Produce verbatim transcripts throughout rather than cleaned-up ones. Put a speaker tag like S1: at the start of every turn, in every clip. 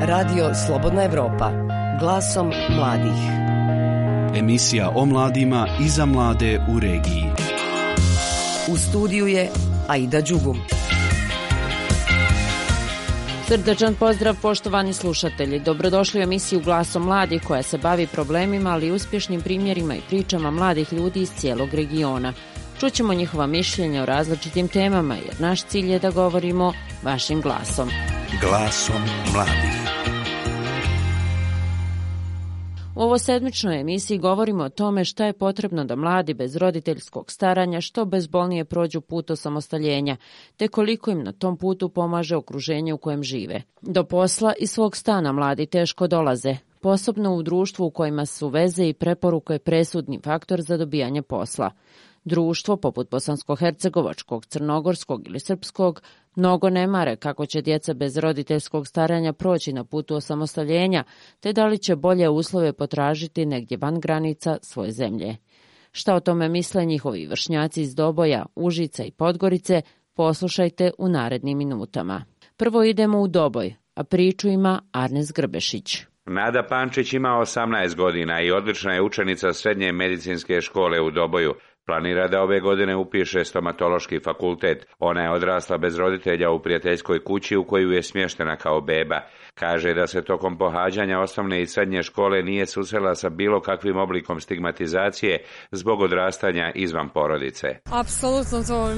S1: Radio Slobodna Evropa, glasom mladih.
S2: Emisija o mladima i za mlade u regiji.
S1: U studiju je Aida Đugum.
S3: Srdačan pozdrav poštovani slušatelji. Dobrodošli u emisiju Glasom mladih koja se bavi problemima, ali i uspješnim primjerima i pričama mladih ljudi iz cijelog regiona. Čućemo njihova mišljenja o različitim temama jer naš cilj je da govorimo vašim glasom.
S2: Glasom mladih.
S3: U ovoj sedmičnoj emisiji govorimo o tome šta je potrebno da mladi bez roditeljskog staranja što bezbolnije prođu put osamostaljenja, te koliko im na tom putu pomaže okruženje u kojem žive. Do posla i svog stana mladi teško dolaze, posebno u društvu u kojima su veze i preporuke presudni faktor za dobijanje posla. Društvo, poput bosansko-hercegovačkog, crnogorskog ili srpskog, mnogo ne mare kako će djeca bez roditeljskog staranja proći na putu osamostaljenja, te da li će bolje uslove potražiti negdje van granica svoje zemlje. Šta o tome misle njihovi vršnjaci iz Doboja, Užica i Podgorice, poslušajte u narednim minutama. Prvo idemo u Doboj, a priču ima Arnes Grbešić.
S4: Nada Pančić ima osamnaest godina i odlična je učenica srednje medicinske škole u Doboju. Planira da ove godine upiše stomatološki fakultet. Ona je odrasla bez roditelja u prijateljskoj kući u koju je smještena kao beba. Kaže da se tokom pohađanja osnovne i srednje škole nije susrela sa bilo kakvim oblikom stigmatizacije zbog odrastanja izvan porodice.
S5: Apsolutno to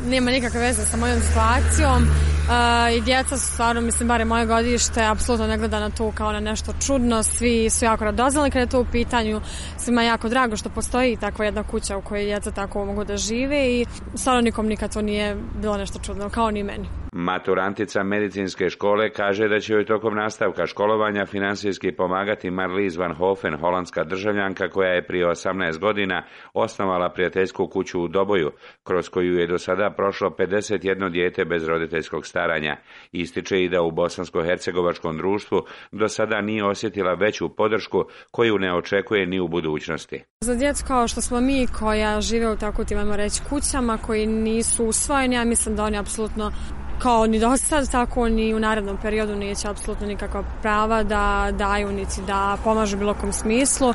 S5: nema nikakve veze sa mojom situacijom. Uh, I djeca su stvarno, mislim, bare moje godište, apsolutno ne gleda na to kao na nešto čudno. Svi su jako radoznali kada je to u pitanju. Svima je jako drago što postoji takva jedna kuća u kojoj djeca tako mogu da žive i stvarno nikom nikad to nije bilo nešto čudno, kao ni meni.
S4: Maturantica medicinske škole kaže da će joj tokom nastavka školovanja finansijski pomagati Marlies van Hofen, holandska državljanka koja je prije osamnaest godina osnovala prijateljsku kuću u Doboju, kroz koju je do sada prošlo pedeset jedno dijete bez roditeljskog staranja. Ističe i da u bosansko-hercegovačkom društvu do sada nije osjetila veću podršku koju ne očekuje ni u budućnosti.
S5: Za djecu kao što smo mi koja žive u tako tim, ajmo reći, kućama koji nisu usvojeni, ja mislim da oni apsolutno kao ni do sad, tako ni u narednom periodu neće apsolutno nikakva prava da daju niti da pomažu bilo kom smislu.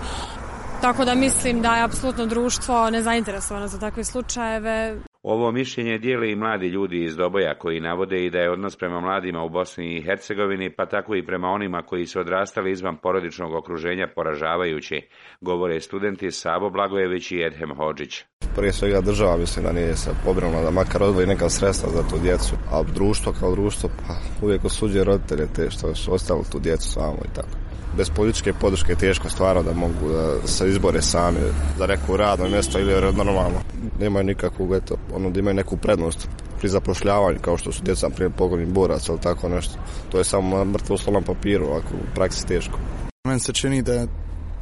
S5: Tako da mislim da je apsolutno društvo nezainteresovano za takve slučajeve.
S4: Ovo mišljenje dijeli i mladi ljudi iz Doboja koji navode i da je odnos prema mladima u Bosni i Hercegovini, pa tako i prema onima koji su odrastali izvan porodičnog okruženja, poražavajući, govore studenti Savo Blagojević i Edhem Hodžić.
S6: Prije svega država mislim da nije se pobrinula da makar odvoji neka sredstva za tu djecu, a društvo kao društvo pa uvijek osuđuje roditelje te što su ostali tu djecu samo i tako. Bez političke podrške je teško stvarno da mogu da se izbore sami za neko radno mjesto ili normalno. Nemaju nikakvu, eto, ono da imaju neku prednost pri zapošljavanju kao što su djeca prije pogodnih boraca ili tako nešto. To je samo mrtvo slovo na papiru, ovako u praksi teško.
S7: Meni se čini da,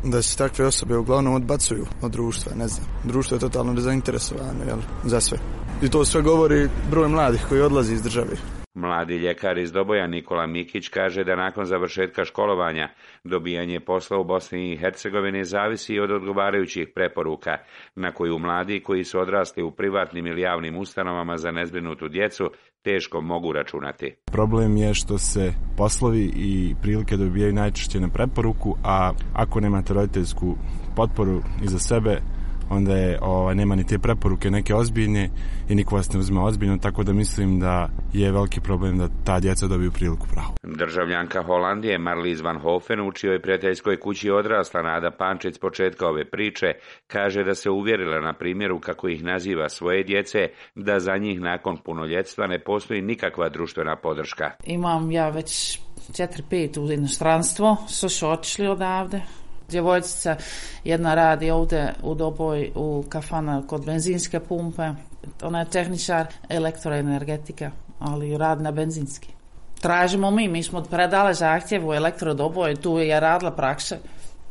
S7: da se takve osobe uglavnom odbacuju od društva, ne znam. Društvo je totalno nezainteresovano, jel, za sve. I to sve govori broj mladih koji odlazi iz države.
S4: Mladi ljekar iz Doboja Nikola Mikić kaže da nakon završetka školovanja dobijanje posla u Bosni i Hercegovini zavisi od odgovarajućih preporuka na koju mladi koji su odrasli u privatnim ili javnim ustanovama za nezbrinutu djecu teško mogu računati.
S8: Problem je što se poslovi i prilike dobijaju najčešće na preporuku, a ako nemate roditeljsku potporu iza sebe, onda je, ovaj, nema ni te preporuke neke ozbiljne i niko vas ne uzme ozbiljno, tako da mislim da je veliki problem da ta djeca dobiju priliku pravu.
S4: Državljanka Holandije Marlies van Hofen, u čijoj prijateljskoj kući odrasla Nada Pančić s početka ove priče, kaže da se uvjerila na primjeru, kako ih naziva, svoje djece, da za njih nakon punoljetstva ne postoji nikakva društvena podrška.
S9: Imam ja već četiri pet u inostranstvo, su su otišli odavde. Djevojčica jedna radi ovdje u Doboj u kafana kod benzinske pumpe. Ona je tehničar elektroenergetika, ali radi na benzinski. Tražimo mi, mi smo predali zahtjev u elektrodoboj, tu je radila praksa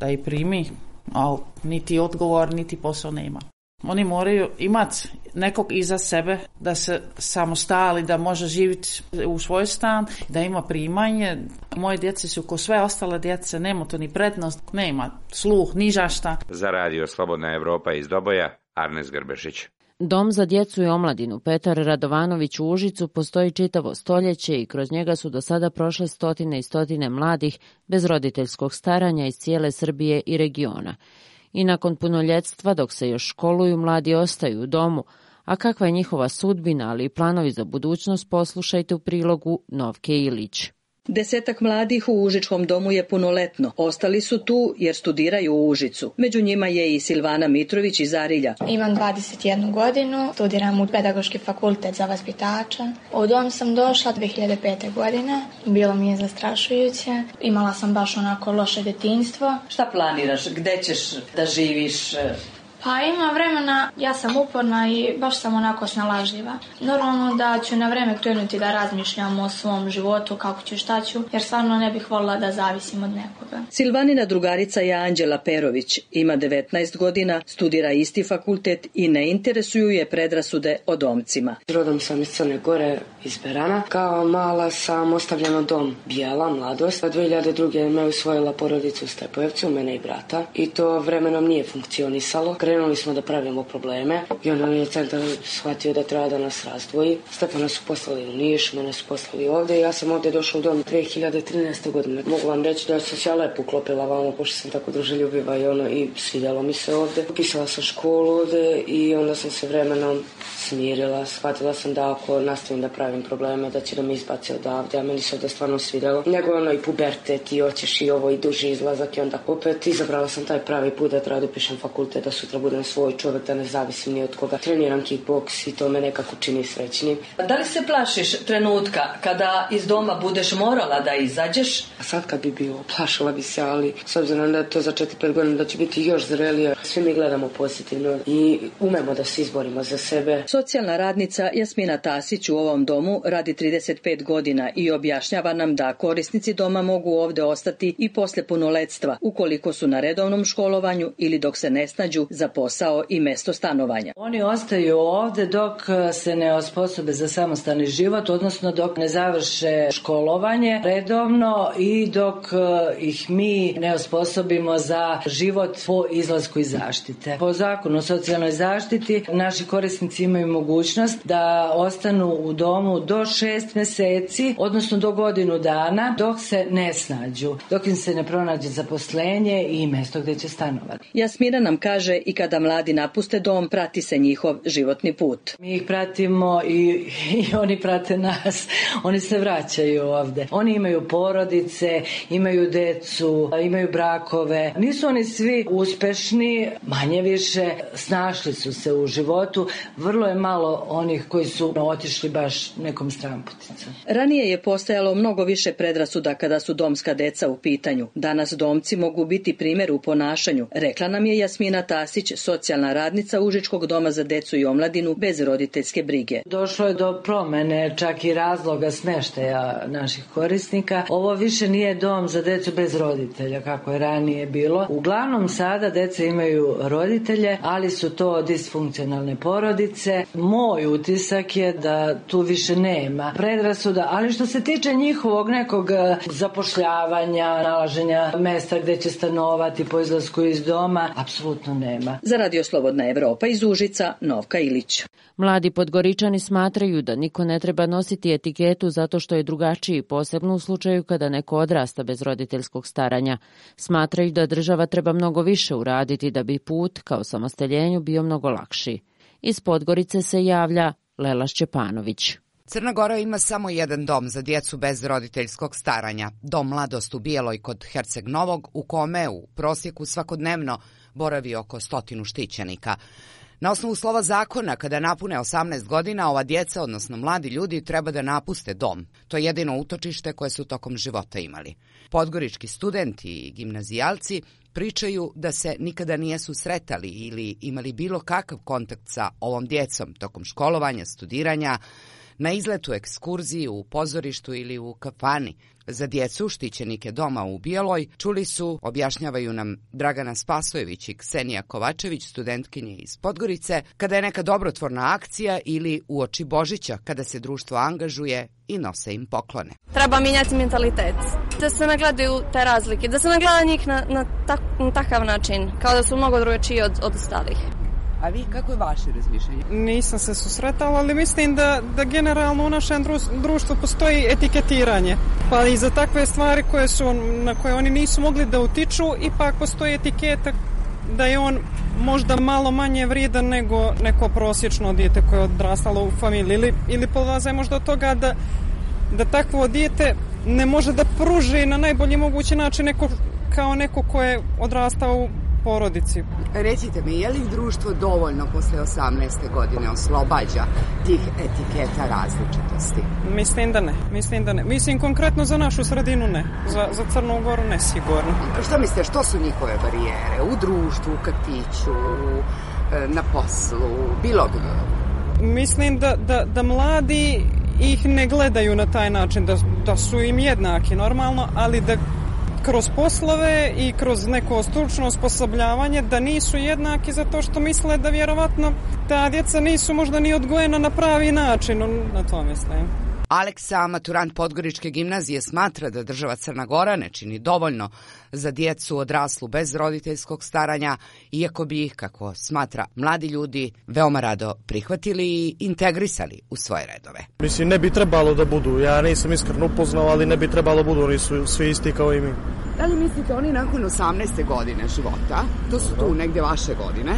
S9: da je primi, ali niti odgovor, niti posao nema. Oni moraju imati nekog iza sebe da se samostali, da može živjeti u svoj stan, da ima primanje. Moje djece su ko sve ostale djece, nema to ni prednost, nema sluh, ni žašta.
S4: Za radio Slobodna Evropa iz Doboja, Arnes Grbešić.
S3: Dom za djecu i omladinu Petar Radovanović u Užicu postoji čitavo stoljeće i kroz njega su do sada prošle stotine i stotine mladih bez roditeljskog staranja iz cijele Srbije i regiona. I nakon punoljetstva, dok se još školuju, mladi ostaju u domu, a kakva je njihova sudbina, ali i planovi za budućnost, poslušajte u prilogu Novke Ilić.
S10: Desetak mladih u Užičkom domu je punoletno. Ostali su tu jer studiraju u Užicu. Među njima je i Silvana Mitrović iz Arilja.
S11: Imam dvadeset jednu godinu, studiram u Pedagoški fakultet za vaspitača. U dom sam došla dvije hiljade pete. godine. Bilo mi je zastrašujuće. Imala sam baš onako loše djetinjstvo.
S10: Šta planiraš? Gde ćeš da živiš?
S11: Pa ima vremena, ja sam uporna i baš sam onako snalažljiva. Normalno da ću na vreme krenuti da razmišljam o svom životu, kako ću, šta ću, jer stvarno ne bih voljela da zavisim od nekoga.
S10: Silvanina drugarica je Anđela Perović. Ima devetnaest godina, studira isti fakultet i ne interesuju je predrasude o domcima.
S12: Rodom sam iz Crne Gore, iz Berana. Kao mala sam ostavljena dom Bijela, mladost. dvije hiljade druge. me usvojila porodicu u Stepojevcu, mene i brata. I to vremenom nije funkcionisalo. Krenuli smo da pravimo probleme i onda je centar shvatio da treba da nas razdvoji. Stefana su poslali u Niš, mene su poslali ovde i ja sam ovde došla u dom dvije hiljade trinaeste. godine. Mogu vam reći da sam se ja lepo uklopila vamo, pošto sam tako druželjubiva i ono, i svidjelo mi se ovde. Upisala sam školu ovde i onda sam se vremenom smirila. Shvatila sam da ako nastavim da pravim probleme, da će da me izbaci odavde, a meni se ovde stvarno svidjelo. Nego ono i pubertet i hoćeš i ovo i duži izlazak i onda opet izabrala sam taj pravi put da treba da upišem fakultet, da sutra budem svoj čovjek, da ne zavisim ni od koga. Treniram kickboks i to me nekako čini srećnim.
S10: Da li se plašiš trenutka kada iz doma budeš morala da izađeš?
S12: A sad kad bi bilo, plašila bi se, ali s obzirom da je to za četiri pet godina da će biti još zrelije, svi mi gledamo pozitivno i umemo da se izborimo za sebe.
S10: Socijalna radnica Jasmina Tasić u ovom domu radi trideset pet godina i objašnjava nam da korisnici doma mogu ovde ostati i posle punoletstva, ukoliko su na redovnom školovanju ili dok se ne snađu za posao i mesto stanovanja.
S13: Oni ostaju ovde dok se ne osposobe za samostalni život, odnosno dok ne završe školovanje redovno i dok ih mi ne osposobimo za život po izlasku iz zaštite. Po zakonu o socijalnoj zaštiti naši korisnici imaju mogućnost da ostanu u domu do šest meseci, odnosno do godinu dana, dok se ne snađu, dok im se ne pronađe zaposlenje i mesto gde će stanovati.
S10: Jasmina nam kaže i kada mladi napuste dom, prati se njihov životni put.
S13: Mi ih pratimo i, i oni prate nas. Oni se vraćaju ovde. Oni imaju porodice, imaju decu, imaju brakove. Nisu oni svi uspešni, manje više snašli su se u životu. Vrlo je malo onih koji su otišli baš nekom stramputicom.
S10: Ranije je postojalo mnogo više predrasuda kada su domska deca u pitanju. Danas domci mogu biti primjer u ponašanju, rekla nam je Jasmina Tasić, socijalna radnica Užičkog doma za decu i omladinu bez roditeljske brige.
S13: Došlo je do promene čak i razloga smeštaja naših korisnika. Ovo više nije dom za decu bez roditelja kako je ranije bilo. Uglavnom sada deca imaju roditelje, ali su to disfunkcionalne porodice. Moj utisak je da tu više nema predrasuda, ali što se tiče njihovog nekog zapošljavanja, nalaženja mesta gde će stanovati po izlasku iz doma, apsolutno nema.
S10: Za Radio Slobodna Evropa iz Užica, Novka Ilić.
S3: Mladi Podgoričani smatraju da niko ne treba nositi etiketu zato što je drugačiji, posebno u slučaju kada neko odrasta bez roditeljskog staranja. Smatraju da država treba mnogo više uraditi da bi put ka osamostaljenju bio mnogo lakši. Iz Podgorice se javlja Lela Šćepanović.
S14: Crna Gora ima samo jedan dom za djecu bez roditeljskog staranja, dom Mladost u Bijeloj kod Herceg Novog, u kome u prosjeku svakodnevno boravi oko stotinu štićenika. Na osnovu slova zakona, kada napune osamnaest godina, ova djeca, odnosno mladi ljudi, treba da napuste dom. To je jedino utočište koje su tokom života imali. Podgorički studenti i gimnazijalci pričaju da se nikada nije susretali ili imali bilo kakav kontakt sa ovom djecom tokom školovanja, studiranja, na izletu, ekskurziji, u pozorištu ili u kafani. Za djecu, štićenike doma u Bijeloj, čuli su, objašnjavaju nam Dragana Spasojević i Ksenija Kovačević, studentkinje iz Podgorice, kada je neka dobrotvorna akcija ili uoči Božića, kada se društvo angažuje i nose im poklone.
S15: Treba mijenjati mentalitet, da se ne gledaju te razlike, da se ne gleda njih na, na, tak, na takav način, kao da su mnogo drugačiji od, od ostalih.
S14: A vi, kako je vaše razmišljanje?
S16: Nisam se susretala, ali mislim da, da generalno u našem društvu postoji etiketiranje. Pa i za takve stvari koje su, na koje oni nisu mogli da utiču, ipak postoji etiketa da je on možda malo manje vrijedan nego neko prosječno dijete koje je odrastalo u familiji. Ili, ili polaze možda od toga da, da takvo dijete ne može da pruži na najbolji mogući način neko, kao neko koje je odrastao u porodici.
S14: Recite mi, je li društvo dovoljno posle osamnaeste godine oslobađa tih etiketa različitosti?
S16: Mislim da ne. Mislim da ne. Mislim konkretno za našu sredinu ne. Za, za Crnu Goru ne sigurno.
S14: Što mislite, što su njihove barijere? U društvu, u kafiću, na poslu, bilo gdje?
S16: Mislim da, da, da mladi ih ne gledaju na taj način, da, da su im jednaki normalno, ali da kroz poslove i kroz neko stručno osposobljavanje da nisu jednaki zato što misle da vjerovatno ta djeca nisu možda ni odgojena na pravi način, na to mislim.
S14: Aleksa, maturant Podgoričke gimnazije, smatra da država Crna Gora ne čini dovoljno za djecu odraslu bez roditeljskog staranja, iako bi ih, kako smatra, mladi ljudi veoma rado prihvatili i integrisali u svoje redove.
S17: Mislim, ne bi trebalo da budu, ja nisam iskreno upoznao, ali ne bi trebalo budu, oni su svi isti kao i mi.
S14: Da li mislite oni nakon osamnaeste godine života, to su tu negdje vaše godine,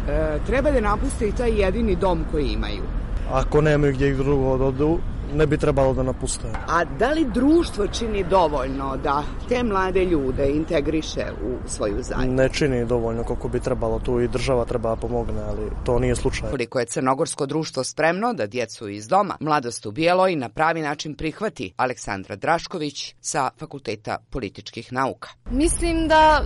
S14: e, treba da napuste i taj jedini dom koji imaju?
S17: Ako nemaju gdje ih drugo odu, ne bi trebalo da napuste.
S14: A da li društvo čini dovoljno da te mlade ljude integriše u svoju zajednicu?
S17: Ne čini dovoljno koliko bi trebalo, tu i država treba pomogne, ali to nije slučaj.
S14: Koliko je crnogorsko društvo spremno da djecu iz doma Mladost u bijeloj na pravi način prihvati? Aleksandra Drašković sa Fakulteta političkih nauka.
S15: Mislim da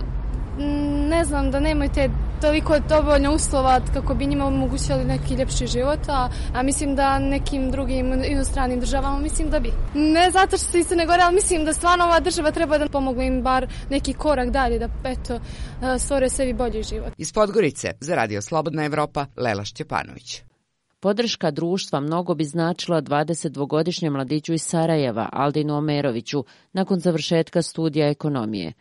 S15: ne znam, da nemaju te toliko dovoljno uslova kako bi njima omogućili neki ljepši život, a, a mislim da nekim drugim inostranim državama mislim da bi. Ne zato što se isto ne gore, ali mislim da stvarno ova država treba da pomogne im bar neki korak dalje, da eto, stvore sebi bolji život.
S14: Iz Podgorice za Radio Slobodna Evropa, Lela Šćepanović.
S3: Podrška društva mnogo bi značila dvadesetdvogodišnjem mladiću iz Sarajeva, Aldinu Omeroviću, nakon završetka studija ekonomije.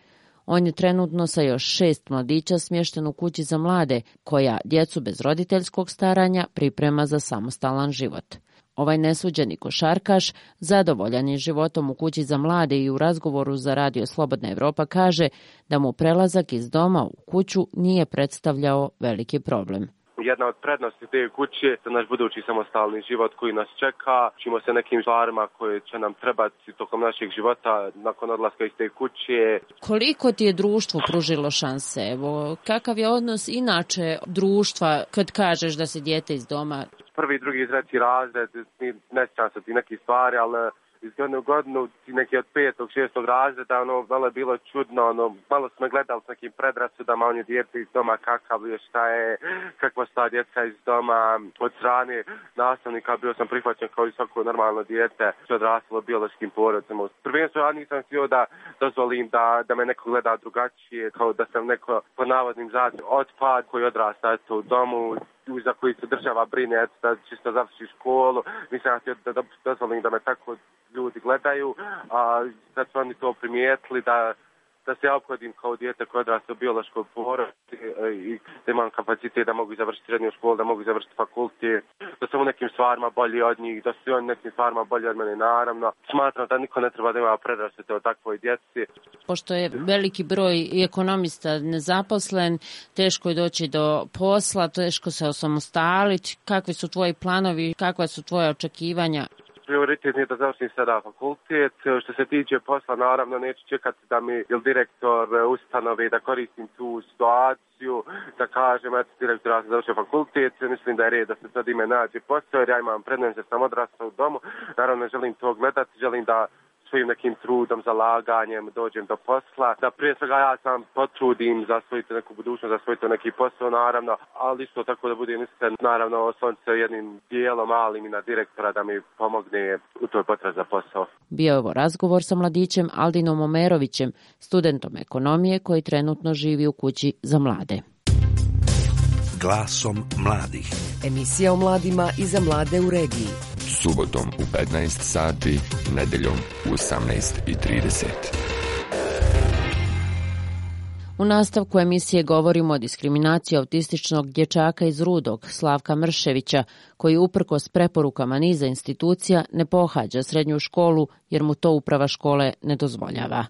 S3: On je trenutno sa još šest mladića smješten u kući za mlade, koja djecu bez roditeljskog staranja priprema za samostalan život. Ovaj nesuđeni košarkaš, zadovoljan je životom u kući za mlade i u razgovoru za Radio Slobodna Evropa kaže da mu prelazak iz doma u kuću nije predstavljao veliki problem.
S18: Jedna od prednosti te kuće je naš budući samostalni život koji nas čeka. Učimo se nekim stvarima koje će nam trebati tokom našeg života nakon odlaska iz te kuće.
S3: Koliko ti je društvo pružilo šanse? Evo, kakav je odnos inače društva kad kažeš da se dijete iz doma?
S18: Prvi, drugi, treći razred, ne sjećam se ti neki stvari, ali iz godine u godinu, neki od petog, šestog razreda, ono, malo je bilo čudno, ono, malo smo gledali s nekim predrasudama, on je dijete iz doma, kakav je, šta je, kakva sta djeca iz doma, od strane nastavnika bio sam prihvaćen kao i svako normalno dijete, što je odrastalo biološkim porodcima. Prvenstveno ja nisam htio da dozvolim da, da me neko gleda drugačije, kao da sam neko po navodnim zatim otpad koji odrasta eto, u domu, za koji se država brine, eto, da čisto završi školu. Nisam htio da dozvolim da me tako ljudi gledaju, a sad su oni to primijetili da, da se ja ophodim kao dijete koje odrasta u biološkoj porodici i da imam kapacitet da mogu završiti srednju školu, da mogu završiti fakultet, da sam u nekim stvarima bolji od njih, da su oni nekim stvarima bolji od mene, naravno. Smatram da niko ne treba da ima predrasude o takvoj djeci.
S3: Pošto je veliki broj i ekonomista nezaposlen, teško je doći do posla, teško se osamostaliti. Kakvi su tvoji planovi, kakva su tvoje očekivanja?
S18: Prioritet je da završim sada fakultet. Što se tiče posla, naravno neću čekati da mi ili direktor ustanove da koristim tu situaciju, da kažem, eto direktor, ja sam završio fakultet, mislim da je red da se sad ime nađe posao, jer ja imam prednost da sam odrastao u domu. Naravno želim to gledati, želim da svojim nekim trudom, zalaganjem dođem do posla, da prije svega ja sam potrudim za svoju neku budućnost, za svoj neki posao, naravno, ali isto tako da budem iskren, naravno osloniti se jednim dijelom malim i na direktora da mi pomogne u toj potrazi za posao.
S3: Bio je ovo razgovor sa mladićem Aldinom Omerovićem, studentom ekonomije koji trenutno živi u kući za mlade.
S19: Glasom mladih.
S1: Emisija o mladima i za mlade u regiji.
S20: Subotom u petnaest sati, nedeljom u osamnaest i trideset.
S3: U U nastavku emisije govorimo o diskriminaciji autističnog dječaka iz Rudog, Slavka Mrševića, koji uprkos preporukama niza institucija ne pohađa srednju školu jer mu to uprava škole ne dozvoljava.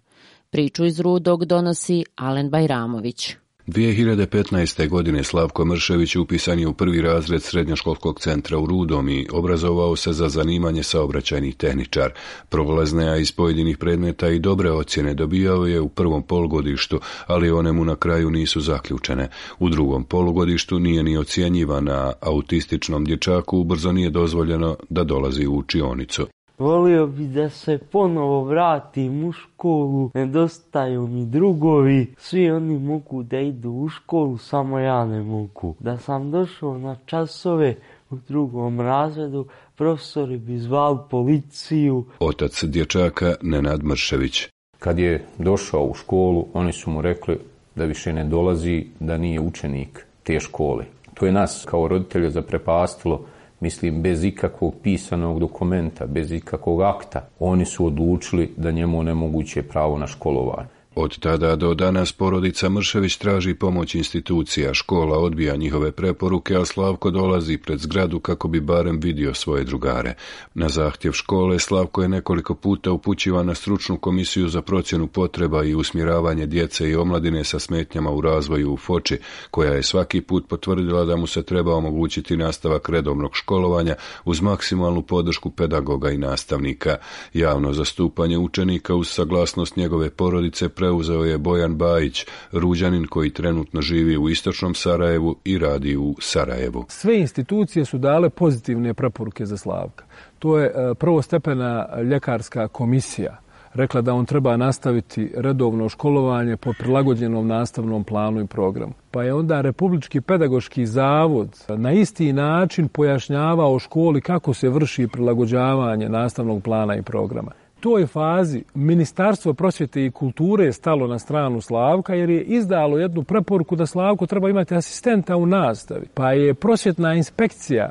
S3: Priču iz Rudog donosi Alen Bajramović.
S19: dvije hiljade petnaeste. godine Slavko Mršević upisan je u prvi razred srednjoškolskog centra u Rudom i obrazovao se za zanimanje saobraćajnih tehničar. Prolazne, a iz pojedinih predmeta i dobre ocjene dobijao je u prvom polugodištu, ali one mu na kraju nisu zaključene. U drugom polugodištu nije ni ocjenjivan, a autističnom dječaku ubrzo nije dozvoljeno da dolazi u učionicu.
S21: Volio bi da se ponovo vratim u školu, nedostaju mi drugovi, svi oni mogu da idu u školu, samo ja ne mogu. Da sam došao na časove u drugom razredu, profesori bi zvali policiju.
S19: Otac dječaka Nenad Mršević.
S22: Kad je došao u školu, oni su mu rekli da više ne dolazi, da nije učenik te škole. To je nas kao roditelja zaprepastilo. Mislim, bez ikakvog pisanog dokumenta, bez ikakvog akta, oni su odlučili da njemu onemoguće pravo na školovanje.
S19: Od tada do danas porodica Mršević traži pomoć institucija, škola odbija njihove preporuke, a Slavko dolazi pred zgradu kako bi barem vidio svoje drugare. Na zahtjev škole Slavko je nekoliko puta upućivan na stručnu komisiju za procjenu potreba i usmjeravanje djece i omladine sa smetnjama u razvoju u Foči, koja je svaki put potvrdila da mu se treba omogućiti nastavak redovnog školovanja uz maksimalnu podršku pedagoga i nastavnika. Javno zastupanje učenika uz saglasnost njegove porodice preuzeo je Bojan Bajić, Ruđanin koji trenutno živi u istočnom Sarajevu i radi u Sarajevu.
S23: Sve institucije su dale pozitivne preporuke za Slavka. To je prvostepena ljekarska komisija rekla da on treba nastaviti redovno školovanje po prilagođenom nastavnom planu i programu. Pa je onda Republički pedagoški zavod na isti način pojašnjavao školi kako se vrši prilagođavanje nastavnog plana i programa. U toj fazi Ministarstvo prosvjete i kulture je stalo na stranu Slavka jer je izdalo jednu preporuku da Slavko treba imati asistenta u nastavi. Pa je prosvjetna inspekcija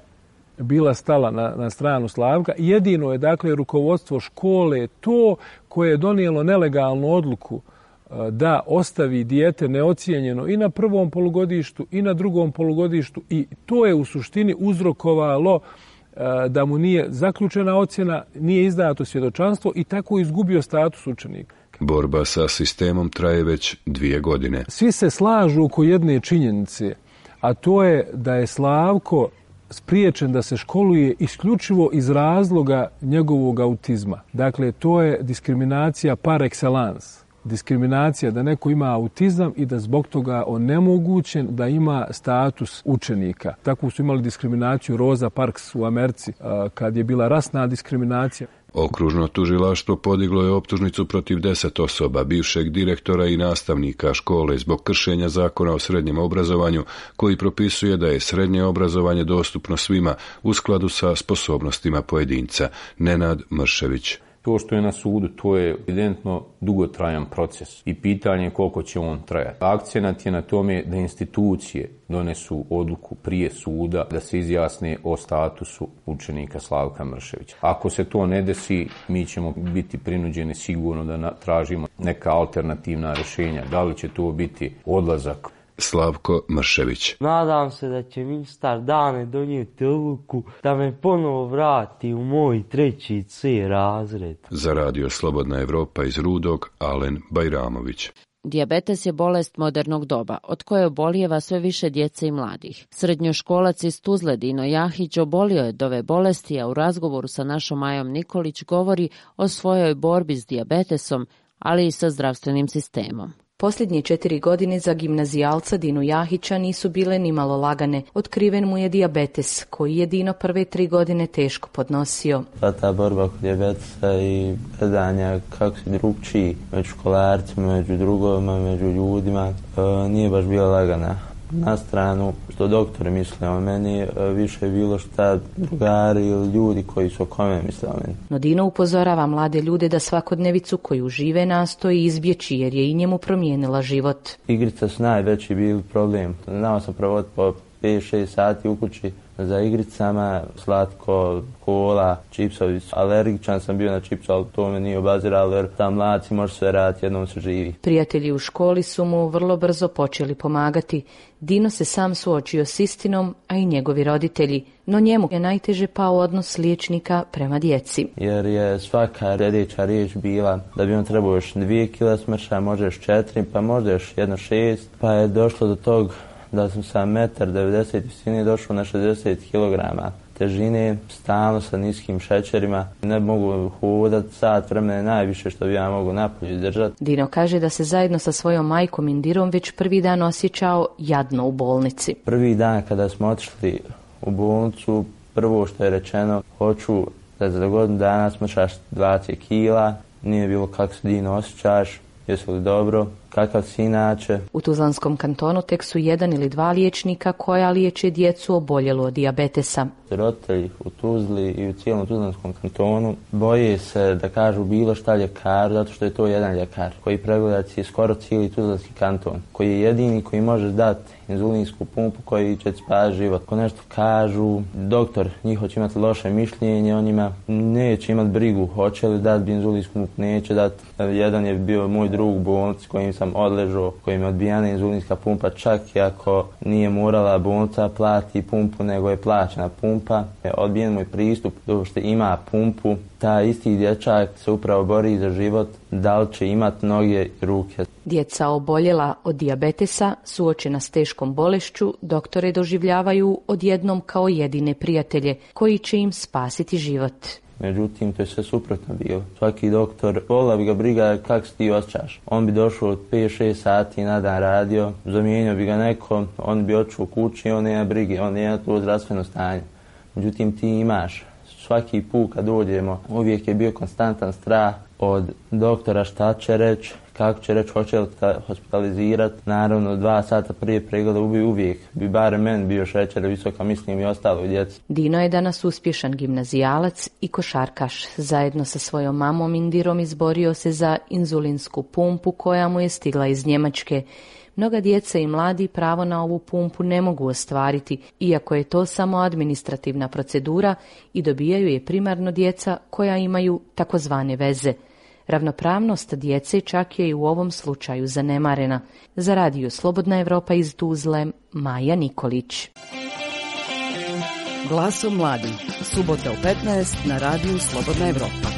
S23: bila stala na, na stranu Slavka. Jedino je dakle rukovodstvo škole to koje je donijelo nelegalnu odluku da ostavi dijete neocijenjeno i na prvom polugodištu i na drugom polugodištu i to je u suštini uzrokovalo da mu nije zaključena ocjena, nije izdato svjedočanstvo i tako izgubio status učenika.
S19: Borba sa sistemom traje već dvije godine.
S23: Svi se slažu oko jedne činjenice, a to je da je Slavko spriječen da se školuje isključivo iz razloga njegovog autizma. Dakle, to je diskriminacija par excellence. Diskriminacija da neko ima autizam i da zbog toga onemogućen da ima status učenika. Tako su imali diskriminaciju Rosa Parks u Americi kad je bila rasna diskriminacija.
S19: Okružno tužilaštvo podiglo je optužnicu protiv deset osoba, bivšeg direktora i nastavnika škole zbog kršenja zakona o srednjem obrazovanju koji propisuje da je srednje obrazovanje dostupno svima u skladu sa sposobnostima pojedinca. Nenad Mršević.
S22: To što je na sudu, to je evidentno dugotrajan proces i pitanje je koliko će on trajati. Akcenat je na tome da institucije donesu odluku prije suda da se izjasne o statusu učenika Slavka Mrševića. Ako se to ne desi, mi ćemo biti prinuđeni sigurno da tražimo neka alternativna rješenja. Da li će to biti odlazak?
S19: Slavko Mršević.
S21: Nadam se da će ministar Dane donijeti odluku da me ponovo vrati u moj treći C razred.
S19: Za radio Slobodna Evropa iz Rudog, Alen Bajramović.
S3: Dijabetes je bolest modernog doba, od koje obolijeva sve više djece i mladih. Srednjoškolac iz Tuzle Dino Jahić obolio je od ove bolesti, a u razgovoru sa našom Majom Nikolić govori o svojoj borbi s dijabetesom, ali i sa zdravstvenim sistemom.
S24: Posljednje četiri godine za gimnazijalca Dinu Jahića nisu bile nimalo lagane. Otkriven mu je dijabetes, koji je Dino prve tri godine teško podnosio.
S21: Pa ta borba kod dijabetesa i gledanja kako si drugčiji među školarcima, među drugovima, među ljudima, e, nije baš bila lagana. Na stranu što doktori misle o meni, više je bilo šta drugari ili ljudi koji su oko mene misle o meni.
S24: No Dino upozorava mlade ljude da svakodnevicu koju žive nastoji izbjeći jer je i njemu promijenila život.
S21: Igrice su najveći bili problem. Znao sam provoditi po pet šest sati u kući za igricama, slatko, kola, čipsovi. Alergičan sam bio na čips, ali to me nije obaziralo jer tam mladci može sve raditi, jednom se živi.
S24: Prijatelji u školi su mu vrlo brzo počeli pomagati. Dino se sam suočio s istinom, a i njegovi roditelji, no njemu je najteže pao odnos liječnika prema djeci.
S21: Jer je svaka sljedeća riječ bila da bi on trebao još dvije kila smrša, možda još četiri, pa možda još jedno šest, pa je došlo do tog da sam sa metar devedeset visine došao na šezdeset kilograma težine, stalno sa niskim šećerima. Ne mogu hodati sat vremena, najviše što bi ja mogu napolju izdržati.
S24: Dino kaže da se zajedno sa svojom majkom Indirom već prvi dan osjećao jadno u bolnici.
S21: Prvi dan kada smo otišli u bolnicu, prvo što je rečeno, hoću da za godinu dana smršaš dvadeset kila, nije bilo kako se Dino osjećaš, jesi li dobro, kakav si inače.
S24: U Tuzlanskom kantonu tek su jedan ili dva liječnika koja liječe djecu oboljelu od dijabetesa.
S21: Roditelji u Tuzli i u cijelom Tuzlanskom kantonu boje se da kažu bilo šta ljekar, zato što je to jedan ljekar koji pregleda skoro cijeli Tuzlanski kanton, koji je jedini koji može dati inzulinsku pumpu koji će spasiti život. Ako nešto kažu, doktor njihov će imati loše mišljenje, on njima neće imati brigu, hoće li dati inzulinsku pumpu, neće dati. Jedan je bio moj drug u bolnici kojim sam odležao, kojim je odbijana inzulinska pumpa, čak i ako nije morala bolnica plati pumpu, nego je plaćena pumpa. Odbijen moj pristup, do što ima pumpu, ta isti dječak se upravo bori za život, da li će imati noge i ruke.
S24: Djeca oboljela od dijabetesa, suočena s teškom bolešću, doktore doživljavaju odjednom kao jedine prijatelje koji će im spasiti život.
S21: Međutim, to je sve suprotno bilo. Svaki doktor, vola bi ga briga kako se ti osjećaš. On bi došao od pet šest sati na dan radio, zamijenio bi ga neko, on bi otišao u kući i on nema brige, on nema to zdravstveno stanje. Međutim, ti imaš. Svaki put kad dođemo, uvijek je bio konstantan strah od doktora šta će reći, kako će reći, hoće li hospitalizirati. Naravno, dva sata prije pregleda ubi uvijek bi barem meni bio šećer visoka, mislim i ostalo djeci.
S24: Dino je danas uspješan gimnazijalac i košarkaš. Zajedno sa svojom mamom Indirom izborio se za inzulinsku pumpu koja mu je stigla iz Njemačke. Mnoga djeca i mladi pravo na ovu pumpu ne mogu ostvariti, iako je to samo administrativna procedura i dobijaju je primarno djeca koja imaju takozvane veze. Ravnopravnost djece čak je i u ovom slučaju zanemarena. Za radio Slobodna Evropa iz Tuzle, Maja Nikolić.
S1: Glasom mladih, subota u petnaest na radiju Slobodna Evropa.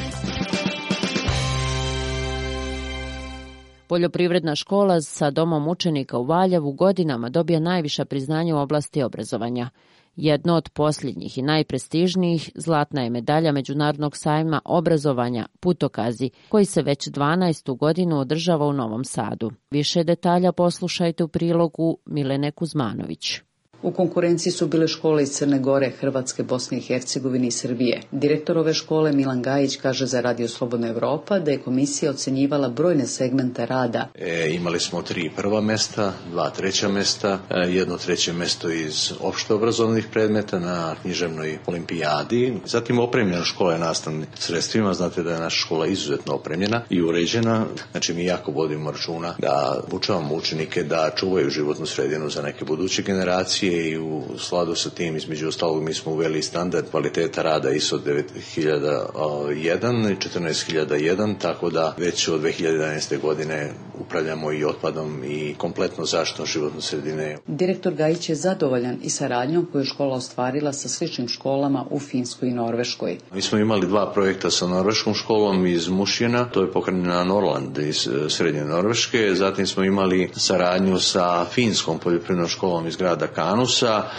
S3: Poljoprivredna škola sa domom učenika u Valjevu godinama dobija najviša priznanja u oblasti obrazovanja. Jedno od posljednjih i najprestižnijih zlatna je medalja Međunarodnog sajma obrazovanja Putokazi, koji se već dvanaestu godinu održava u Novom Sadu. Više detalja poslušajte u prilogu Milene Kuzmanović.
S2: U konkurenciji su bile škole iz Crne Gore, Hrvatske, Bosne i Hercegovine i Srbije. Direktor ove škole Milan Gajić kaže za Radio Slobodna Evropa da je komisija ocenjivala brojne segmente rada.
S5: E, imali smo tri prva mesta, dva treća mesta, jedno treće mesto iz opšte obrazovnih predmeta na književnoj olimpijadi. Zatim opremljena škola je nastavnim sredstvima. Znate da je naša škola izuzetno opremljena i uređena. Znači mi jako vodimo računa da obučavamo učenike da čuvaju životnu sredinu za neke buduće generacije. I u skladu sa tim, između ostalog, mi smo uveli standard kvaliteta rada I S O devet hiljada jedan i četrnaest hiljada jedan, tako da već od dve hiljade jedanaeste. godine upravljamo i otpadom i kompletno zaštitom životne sredine.
S2: Direktor Gajić je zadovoljan i saradnjom koju je škola ostvarila sa sličnim školama u Finskoj i Norveškoj.
S5: Mi smo imali dva projekta sa norveškom školom iz Mušjena, to je pokrenula Norland iz srednje Norveške, zatim smo imali saradnju sa finskom poljoprivrednom školom iz grada Kanu.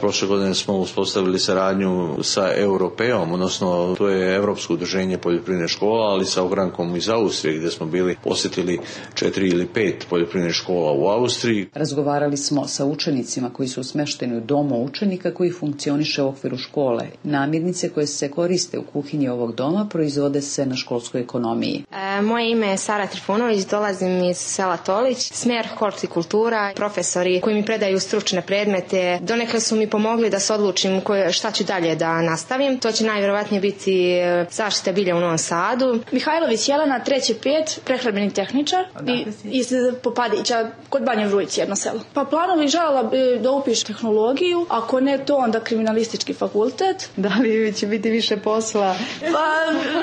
S5: Prošle godine smo uspostavili saradnju sa Europeom, odnosno to je Europsko udruženje poljoprivredne škola, ali sa ogrankom iz Austrije gdje smo bili posjetili četiri ili pet poljoprivrednih škola u Austriji.
S2: Razgovarali smo sa učenicima koji su smješteni u domu učenika koji funkcioniše u okviru škole. Namirnice koje se koriste u kuhinji ovog doma proizvode se na školskoj ekonomiji.
S6: E, moje ime je Sara Trifunović, dolazim iz sela Tolić, smjer hortikultura, profesori koji mi predaju stručne predmete, Donekle su mi pomogli da se odlučim koje, šta ću dalje da nastavim. To će najvjerovatnije biti zaštita bilja u Novom Sadu.
S4: Mihajlović Jelena, treći pet, prehrambeni tehničar i iz Popadića kod Banje Vrujić, jedno selo. Pa planovi željela bi da upišem tehnologiju, ako ne to onda kriminalistički fakultet.
S2: Da li će biti više posla?
S4: Pa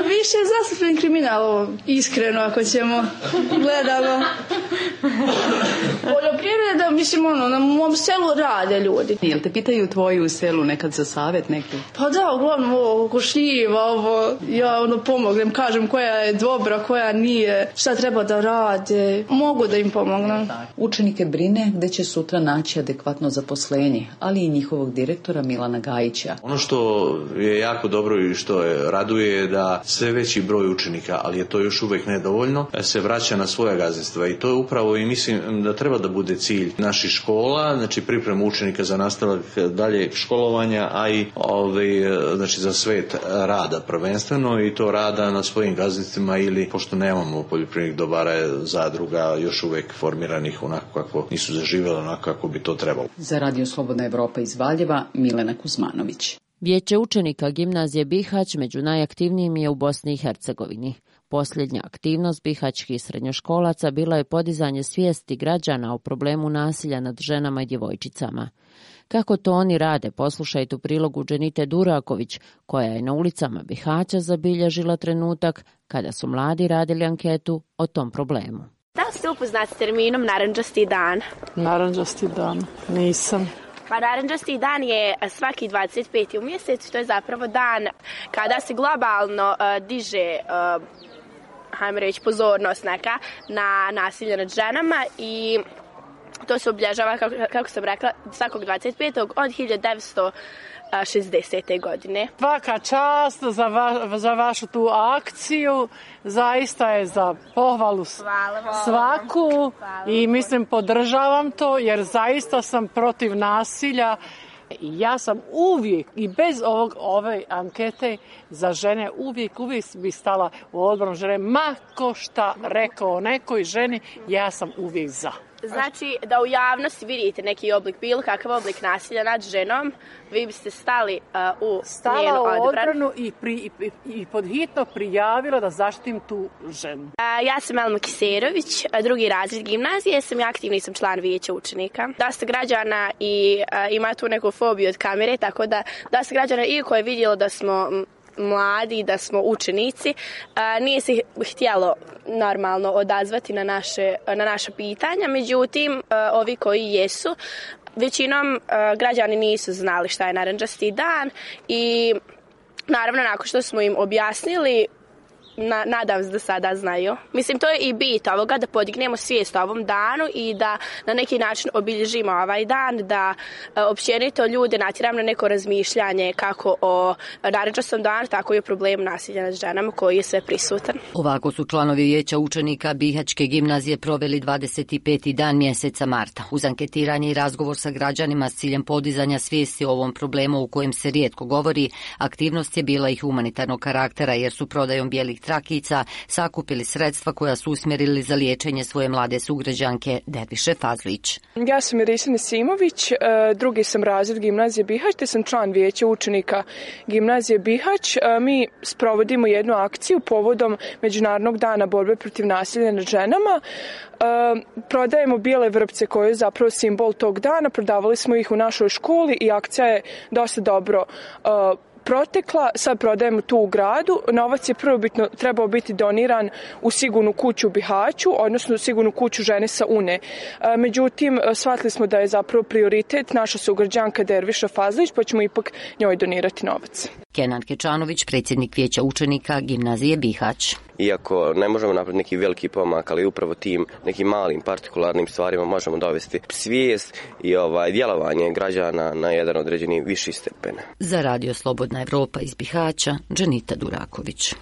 S4: više zastupljen kriminal, iskreno ako ćemo gledamo. Poljoprivreda, mislim ono, na mom selu rade ljudi.
S2: Jel te pitaju tvoji u selu nekad za savjet neki?
S4: Pa da, uglavnom ovo košljiva, ovo, ja ono pomognem, kažem koja je dobra, koja nije, šta treba da rade, mogu da im pomognem.
S2: Učenike brine gde će sutra naći adekvatno zaposlenje, ali i njihovog direktora Milana Gajića.
S5: Ono što je jako dobro i što je raduje je da sve veći broj učenika, ali je to još uvijek nedovoljno, se vraća na svoja gazdinstva i to je upravo i mislim da treba da bude cilj naših škola, znači pripremu učenika za nastavak dalje školovanja, a i ovaj, znači za svet rada prvenstveno i to rada na svojim gazdinstvima ili pošto nemamo poljoprivrednih dobara zadruga još uvijek formiranih onako kako nisu zaživjeli, onako kako bi to trebalo.
S2: Za Radio Slobodna Evropa iz Valjeva, Milena Kuzmanović.
S3: Vijeće učenika gimnazije Bihać među najaktivnijim je u Bosni i Hercegovini. Posljednja aktivnost bihaćkih srednjoškolaca bila je podizanje svijesti građana o problemu nasilja nad ženama i djevojčicama. Kako to oni rade, poslušajte u prilogu Dženite Duraković, koja je na ulicama Bihaća zabilježila trenutak kada su mladi radili anketu o tom problemu.
S7: Da li ste upoznati s terminom narandžasti dan?
S8: Narandžasti dan, nisam.
S7: Pa narandžasti dan je svaki dvadeset peti u mjesecu, to je zapravo dan kada se globalno uh, diže uh, hajmo reći pozornost neka na nasilje nad ženama i to se obilježava, kako, kako sam rekla, svakog dvadeset petog od hiljadu devetsto šezdesete. godine.
S8: Svaka čast za, va, za vašu tu akciju, zaista je za pohvalu svaku i mislim podržavam to jer zaista sam protiv nasilja. Ja sam uvijek i bez ovog, ove ankete za žene uvijek, uvijek bi stala u odbranu žene. Ma ko šta rekao nekoj ženi, ja sam uvijek za.
S7: Znači da u javnosti vidite neki oblik, bilo kakav oblik nasilja nad ženom, vi biste stali uh, u
S8: Stala
S7: njenu
S8: u
S7: odbranu.
S8: odbranu i, pri, i, i podhitno prijavila da zaštitim tu ženu.
S7: Uh, ja sam Elma Kiserović, drugi razred gimnazije, sam i aktivni sam član vijeća učenika. Dosta građana i uh, ima tu neku fobiju od kamere, tako da dosta građana i koje je vidjelo da smo mladi, da smo učenici, a, nije se htjelo normalno odazvati na naše, na naša pitanja, međutim a, ovi koji jesu, većinom a, građani nisu znali šta je narandžasti dan i naravno nakon što smo im objasnili, Na, nadam se da sada znaju. Mislim, to je i bit ovoga, da podignemo svijest o ovom danu i da na neki način obilježimo ovaj dan, da e, općenito ljude natjeramo na neko razmišljanje kako o narandžastom danu, tako i o problemu nasilja nad ženama koji je sve prisutan.
S1: Ovako su članovi vijeća učenika Bihaćke gimnazije proveli dvadeset peti dan mjeseca marta. Uz anketiranje i razgovor sa građanima s ciljem podizanja svijesti o ovom problemu u kojem se rijetko govori, aktivnost je bila i humanitarnog karaktera jer su prodajom bijelih trakica sakupili sredstva koja su usmjerili za liječenje svoje mlade sugrađanke Derviše Fazlić.
S9: Ja sam Irisina Simović, drugi sam razred gimnazije Bihać, te sam član vijeća učenika gimnazije Bihać. Mi sprovodimo jednu akciju povodom Međunarodnog dana borbe protiv nasilja nad ženama. Prodajemo bijele vrpce koje je zapravo simbol tog dana, prodavali smo ih u našoj školi i akcija je dosta dobro protekla, sad prodajemo tu u gradu. Novac je prvobitno trebao biti doniran u sigurnu kuću u Bihaću, odnosno u sigurnu kuću žene sa Une. Međutim, shvatili smo da je zapravo prioritet naša sugrađanka Derviša Fazlić, pa ćemo ipak njoj donirati novac.
S1: Kenan Kečanović, predsjednik vijeća učenika gimnazije Bihać.
S25: Iako ne možemo napraviti neki veliki pomak, ali upravo tim nekim malim partikularnim stvarima možemo dovesti svijest i ovaj djelovanje građana na jedan određeni viši stepen.
S1: Za Radio Slobodna Evropa iz Bihaća, Dženita Duraković.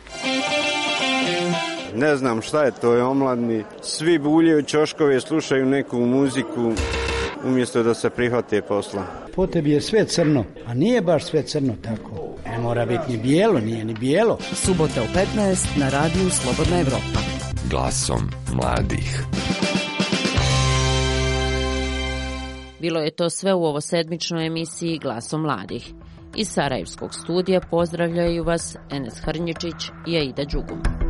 S26: Ne znam šta je to, je omladni. Svi buljaju ćoškove, slušaju neku muziku umjesto da se prihvate posla.
S27: Po tebi je sve crno, a nije baš sve crno tako. Ne mora biti ni bijelo, nije ni bijelo.
S1: Subota u petnaest na Radiju Slobodna Evropa.
S20: Glasom mladih.
S3: Bilo je to sve u ovosedmičnoj emisiji Glasom mladih. Iz Sarajevskog studija pozdravljaju vas Enes Hrnjičić i Aida Đugum.